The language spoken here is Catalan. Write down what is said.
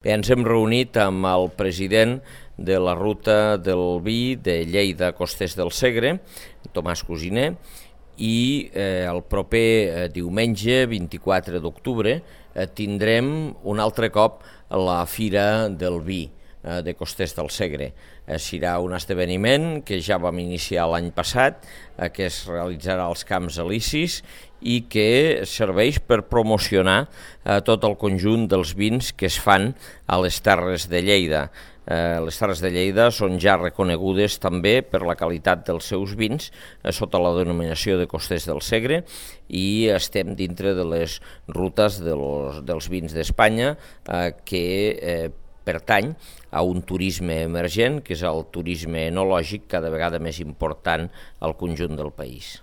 Bé, ens hem reunit amb el president de la ruta del vi de Lleida-Costers del Segre, Tomàs Cosiner, i el proper diumenge, 24 d'octubre, tindrem un altre cop la Fira del Vi de Costers del Segre. Serà un esdeveniment que ja vam iniciar l'any passat, que es realitzarà als Camps Elisis i que serveix per promocionar tot el conjunt dels vins que es fan a les Terres de Lleida. Les Terres de Lleida són ja reconegudes també per la qualitat dels seus vins sota la denominació de Costers del Segre i estem dintre de les rutes dels vins d'Espanya que pertany a un turisme emergent, que és el turisme enològic, cada vegada més important al conjunt del país.